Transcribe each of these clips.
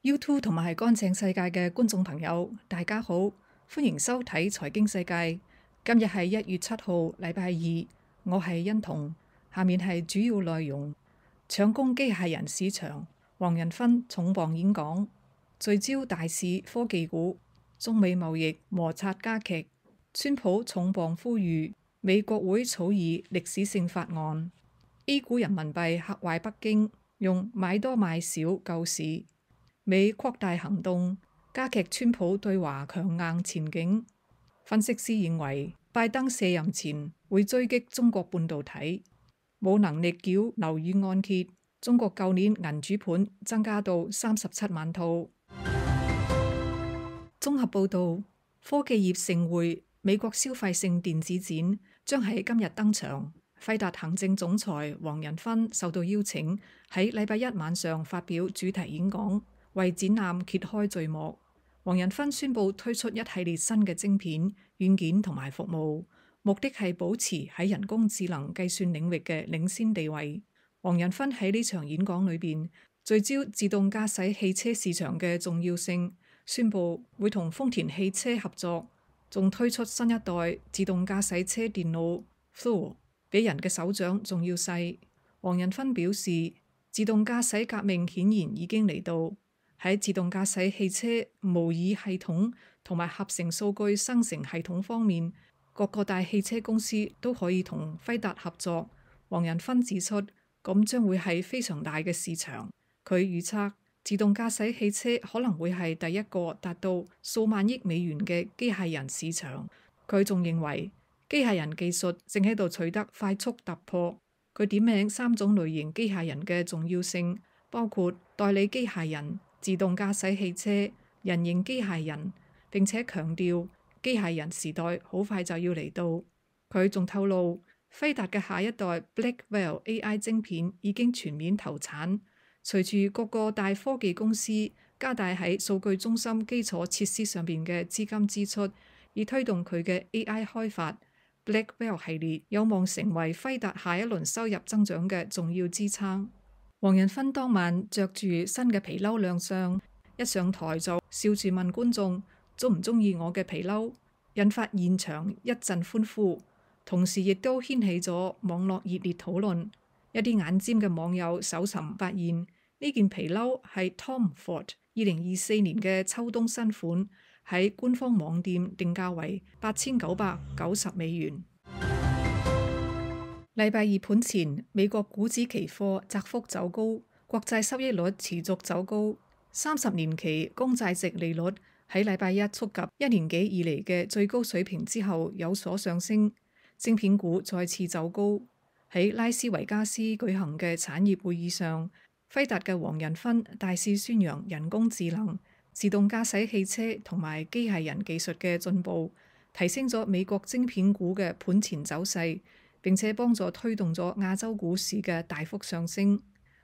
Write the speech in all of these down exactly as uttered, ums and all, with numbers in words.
YouTube 同埋乾淨世界嘅觀眾朋友，大家好，歡迎收睇財經世界。今日係一月七號，禮拜二，我係欣彤。下面係主要內容：搶攻機械人市場，黃仁勳重磅演講；聚焦大市科技股，中美貿易摩擦加劇；川普重磅呼籲美國會草擬歷史性法案；A 股人民幣嚇壞北京，用買多買少救市。美擴大行動，加劇川普對華強硬前景。分析師認為，拜登卸任前會追擊中國半導體，冇能力繳樓宇按揭。中國舊年銀主盤增加到三十七萬套。綜合報導，科技業盛會美國消費性電子展將喺今日登場。輝達行政總裁黃仁勳受到邀請喺禮拜一晚上發表主題演講，為展覽揭開序幕。黃仁勳宣布推出一系列新嘅晶片、軟件同埋服務，目的係保持喺人工智能計算領域嘅領先地位。黃仁勳喺呢場演講裏邊聚焦自動駕駛汽車市場嘅重要性，宣布會同豐田汽車合作，仲推出新一代自動駕駛車電腦 Thor， 比人嘅手掌仲要細。黃仁勳表示，自動駕駛革命顯然已經嚟到。喺自動駕駛汽車模擬系統同埋合成數據生成系統方面，各個大汽車公司都可以同輝達合作。黃仁勳指出，咁將會係非常大嘅市場。佢預測自動駕駛汽車可能會係第一個達到數萬億美元嘅機械人市場。佢仲認為機械人技術正喺度取得快速突破。佢點名三種類型機械人嘅重要性，包括代理機械人、自動駕駛汽車、人形機械人，並且強調機械人時代好快就要嚟到。佢仲透露，輝達嘅下一代 Blackwell A I 晶片已經全面投產。隨住各個大科技公司加大喺數據中心基礎設施上邊嘅資金支出，以推動佢嘅 A I 開發， Blackwell 系列有望成為輝達下一輪收入增長嘅重要支撐。黃仁勳當晚着住新嘅皮褸亮相，一上台就笑住問觀眾鍾唔鍾意我嘅皮褸，引發現場一陣歡呼，同時亦都掀起咗網絡熱烈討論。一啲眼尖嘅網友搜尋發現，呢件皮褸係 Tom Ford 二零二四年嘅秋冬新款，喺官方網店定價為八千九百九十美元。禮拜二盤前，美國股指期貨窄幅走高，國債收益率持續走高，三十年期公債值利率喺禮拜一觸及一年幾以嚟嘅最高水平之後有所上升，晶片股再次走高。喺拉斯維加斯舉行嘅產業會議上，輝達嘅黃仁勳大肆宣揚人工智能、自動駕駛汽車同埋機械人技術嘅進步，提升咗美國晶片股嘅盤前走勢，並且幫助推動咗亞洲股市嘅大幅上升。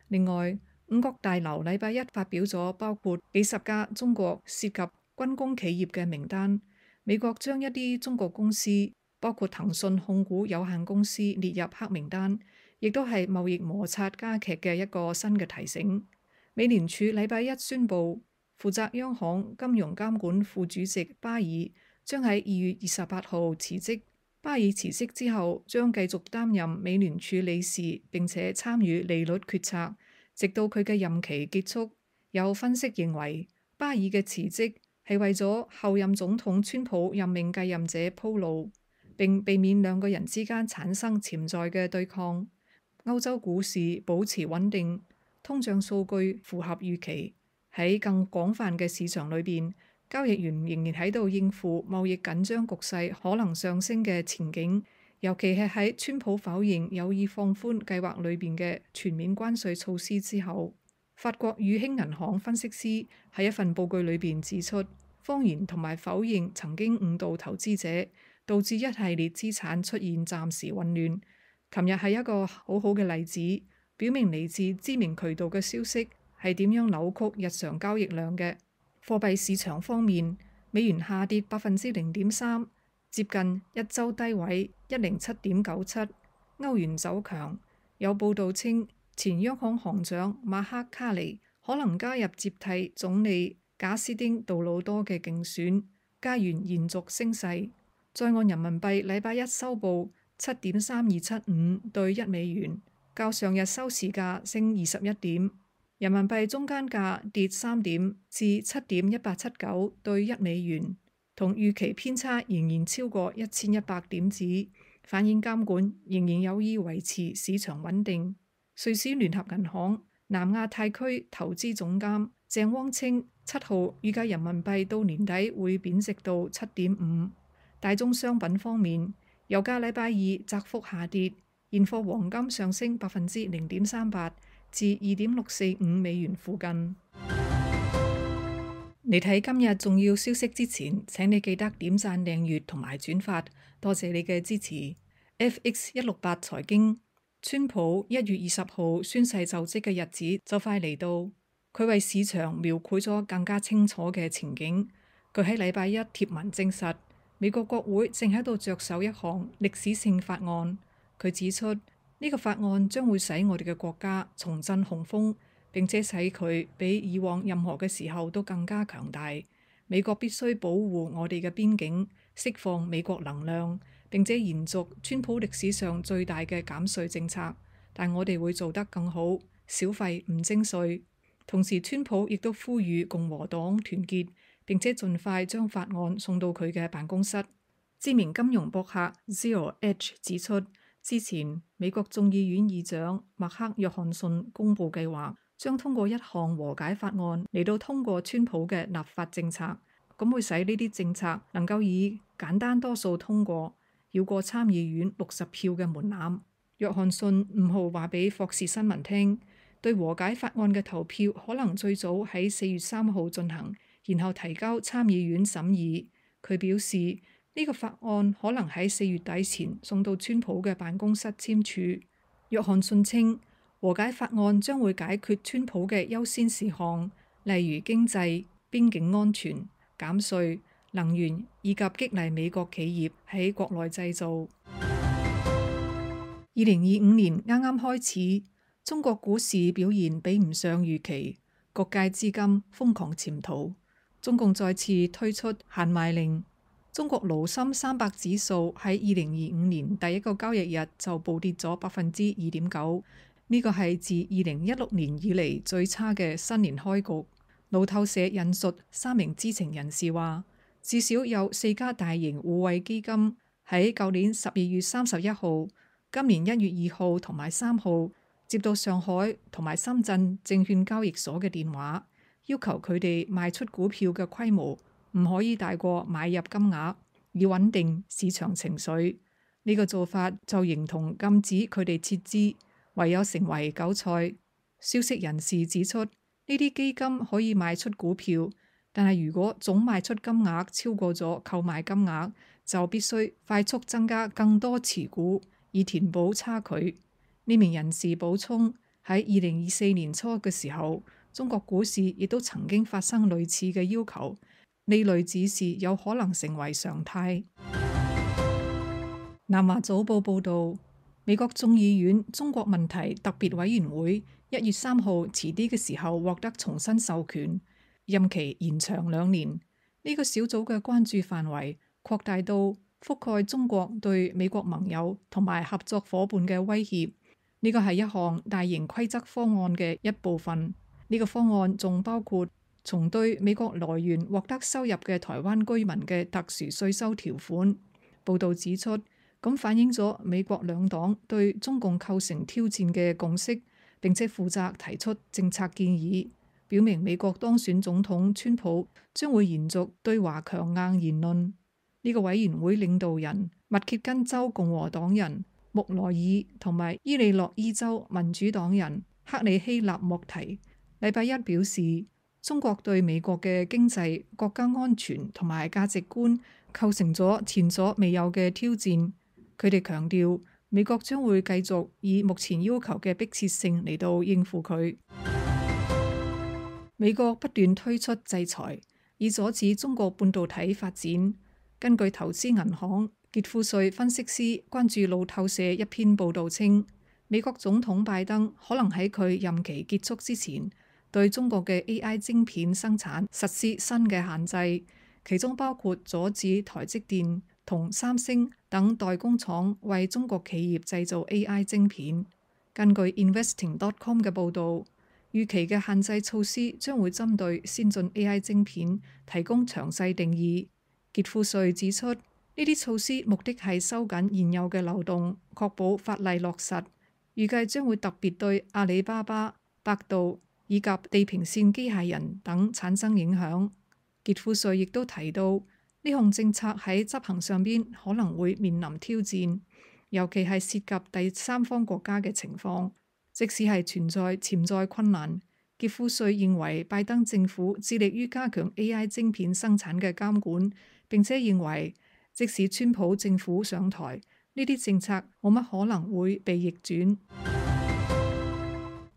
另外，五角大樓禮拜一發表咗包括幾十家中國涉及軍工企業嘅名單，美國將一啲中國公司，包括騰訊控股有限公司列入黑名單，亦都係貿易摩擦加劇嘅一個新嘅提醒。美聯儲禮拜一宣布，負責央行金融監管副主席巴爾將喺二月二十八號辭職。巴爾辭職之後，將繼續擔任美聯儲理事，並且參與利率決策，直到佢嘅任期結束。有分析認為，巴爾嘅辭職係為咗後任總統川普任命繼任者鋪路，並避免兩個人之間產生潛在嘅對抗。歐洲股市保持穩定，通脹數據符合預期。喺更廣泛嘅市場裏邊，交易員仍然喺度應付貿易緊張局勢可能上升嘅前景，尤其係喺川普否認有意放寬計劃裏邊嘅全面關稅措施之後。法國宇興銀行分析師喺一份報告裏邊指出，謊言同埋否認曾經誤導投資者，導致一系列資產出現暫時混亂。琴日係一個好好嘅例子，表明嚟自知名渠道嘅消息係點樣扭曲日常交易量嘅。貨幣市場方面，美元下跌百分之零點三，接近一周低位一零七點九七。歐元走強，有報道稱前央行行長馬克卡尼可能加入接替總理賈斯丁杜魯多嘅競選，加元延續升勢。在岸人民幣禮拜一收報七點三二七五對一美元，較上日收市價升二十一點。人民幣中間價跌三點至七點一八七九對一美元，同預期偏差仍然超過一千一百點子，反映監管仍然有意維持市場穩定。瑞士聯合銀行南亞太區投資總監鄭汪清七號預計人民幣到年底會貶值到七點五。大宗商品方面，油價禮拜二窄幅下跌，現貨黃金上升百分之零點三八至二點六四五美元附近。嚟睇今日重要消息之前，請你記得點讚、訂閱同埋轉發，多謝你嘅支持。F X 一六八財經，川普一月二十號宣誓就職嘅日子就快嚟到，佢為市場描繪咗更加清楚嘅情景。佢喺禮拜一貼文證實，美國國會正喺度着手一項歷史性法案。佢指出，呢個法案將會使我哋嘅國家重振雄風，並且使佢比以往任何嘅時候都更加強大。美國必須保護我哋嘅邊境，釋放美國能量，並且延續川普歷史上最大嘅減稅政策。但我哋會做得更好，小費唔徵稅。同時，川普亦都呼籲共和黨團結，並且盡快將法案送到佢嘅辦公室。知名金融博客 Zero Edge 指出，之前美國眾議院議長麥克約翰遜公布計劃，將通過一項和解法案嚟到通過川普嘅立法政策，咁會使呢啲政策能夠以簡單多數通過，繞過參議院六十票嘅門檻。約翰遜五號話俾霍士新聞聽，對和解法案嘅投票可能最早喺四月三號進行，然後提交參議院審議。佢表示，呢個法案可能喺四月底前送到川普嘅辦公室簽署。約翰遜稱，和解法案將會解決川普嘅優先事項，例如經濟、邊境安全、減稅、能源以及激勵美國企業喺國內製造。二零二五年啱啱開始，中國股市表現比唔上預期，各界資金瘋狂潛逃，中共再次推出限賣令。中國滷深三百指數喺二零二五年第一個交易日就暴跌咗百分之二點九，呢個係自二零一六年以嚟最差嘅新年開局。路透社引述三名知情人士話，至少有四家大型互惠基金喺舊年十二月三十一號、今年一月二號同埋三號接到上海同埋深圳證券交易所嘅電話，要求佢哋賣出股票嘅規模唔可以大過買入金額，以穩定市場情緒。呢個做法就形同禁止佢哋撤資，唯有成為韭菜。消息人士指出，呢啲基金可以賣出股票，但係如果總賣出金額超過咗購買金額，就必須快速增加更多持股，以填補差距。呢名人士補充，喺二零二四年初嘅時候，中國股市亦都曾經發生類似嘅要求。呢類指示有可能成為常態。南華早報報導，美國眾議院中國問題特別委員會一月三號遲啲嘅時候獲得重新授權，任期延長兩年。呢個小組嘅關注範圍擴大到覆蓋中國對美國盟友同埋合作夥伴嘅威脅。呢個係一項大型規則方案嘅一部分。呢個方案仲包括從對美國來源獲得收入嘅台灣居民嘅特殊稅收條款。報導指出，咁反映咗美國兩黨對中共構成挑戰嘅共識，並且負責提出政策建議，表明美國當選總統川普將會延續對華強硬言論。呢個委員會領導人密歇根州共和黨人穆萊爾同埋伊利諾伊州民主黨人克里希納莫提禮拜一表示，中國對美國嘅經濟、國家安全同埋價值觀構成咗前所未有嘅挑戰。佢哋強調，美國將會繼續以目前要求嘅迫切性嚟到應付佢。美國不斷推出制裁，以阻止中國半導體發展。根據投資銀行傑富瑞分析師關注路透社一篇報導稱，美國總統拜登可能喺佢任期結束之前對中國嘅 A I 晶片生產實施新嘅限制，其中包括阻止台積電同三星等代工廠為中國企業製造 A I 晶片。根據 investing dot com 嘅報導，預期嘅限制措施將會針對先進 A I 晶片提供詳細定義。傑富瑞指出，呢啲措施目的係收緊現有嘅漏洞，確保法例落實。預計將會特別對阿里巴巴、百度以及地平線機械人等產生影響。傑富瑞亦都提到，呢項政策喺執行上邊可能會面臨挑戰，尤其係涉及第三方國家嘅情況。即使係存在潛在困難，傑富瑞認為拜登政府致力於加強 A I 晶片生產嘅監管，並且認為即使川普政府上台，呢啲政策冇乜可能會被逆轉。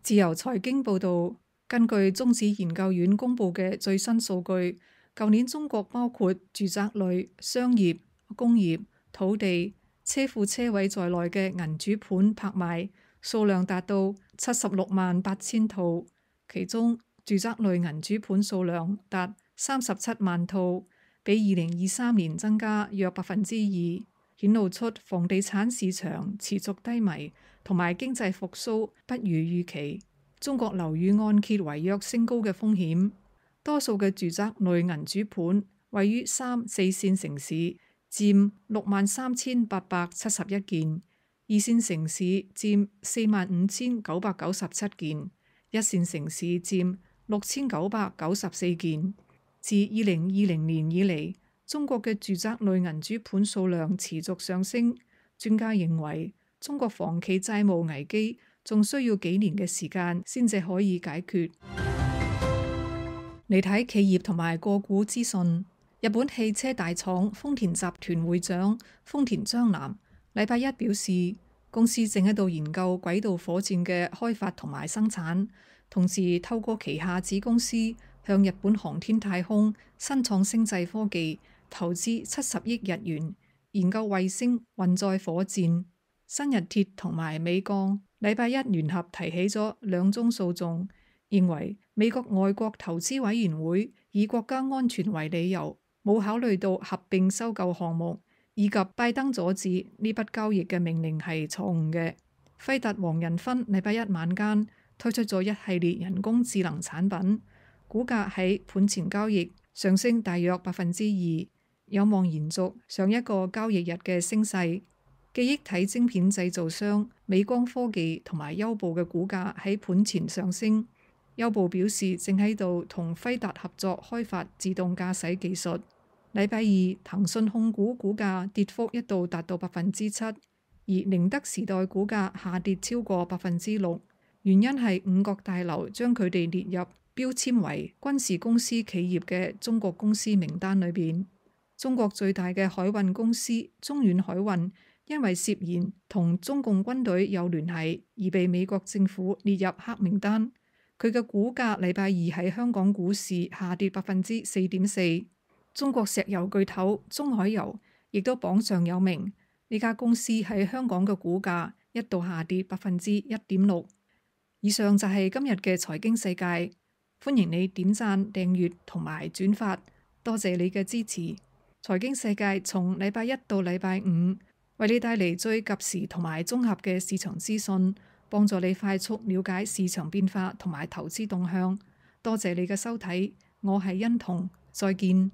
自由財經報導，根據中指研究院公佈嘅最新數據，舊年中國包括住宅類、商業、工業、土地、車庫車位在內嘅銀主盤拍賣數量達到七十六萬八千套，其中住宅類銀主盤數量達三十七萬套，比二零二三年增加約百分之二，顯露出房地產市場持續低迷同埋經濟復甦不如預期，中國樓宇按揭違約升高嘅風險。多數嘅住宅類銀主盤位於三四線城市，佔六萬三千八百七十一件；二線城市佔四萬五千九百九十七件；一線城市佔六千九百九十四件。自二零二零年以嚟，中國嘅住宅類銀主盤數量持續上升。專家認為，中國房企債務危機仲需要幾年嘅時間先至可以解決。嚟睇企業同埋個股資訊，日本汽車大廠豐田集團會長豐田章男禮拜一表示，公司正喺度研究軌道火箭嘅開發同埋生產，同時透過旗下子公司向日本航天太空新創星際科技投資七十億日元，研究衛星運載火箭。新日鐵同埋美鋼禮拜一聯合提起咗兩宗訴訟，認為美國外國投資委員會以國家安全為理由，冇考慮到合併收購項目，以及拜登阻止呢筆交易嘅命令係錯誤嘅。輝達黃仁勳禮拜一晚間推出咗一系列人工智能產品，股價喺盤前交易上升大約百分之二，有望延續上一個交易日嘅升勢。記憶體晶片製造商美光科技同埋優步嘅股價喺盤前上升。優步表示正喺度同輝達合作開發自動駕駛技術。禮拜二，騰訊控股股價跌幅一度達到百分之七，而寧德時代股價下跌超過百分之六，原因係五角大樓將佢哋列入標籤為軍事公司企業嘅中國公司名單裏邊。中國最大嘅海運公司中遠海運因為涉嫌同中共軍隊有聯繫而被美國政府列入黑名單。佢嘅股價禮拜二喺香港股市下跌百分之四點四。中國石油巨頭中海油亦都榜上有名，呢家公司喺香港嘅股價一度下跌百分之一點六。以上就係今日嘅財經世界，歡迎你點讚、訂閱同埋轉發，多謝你嘅支持。財經世界從禮拜一到禮拜五，為你帶嚟最及時同埋綜合嘅市場資訊，幫助你快速了解市場變化同埋投資動向。多謝你嘅收睇，我係欣彤，再見。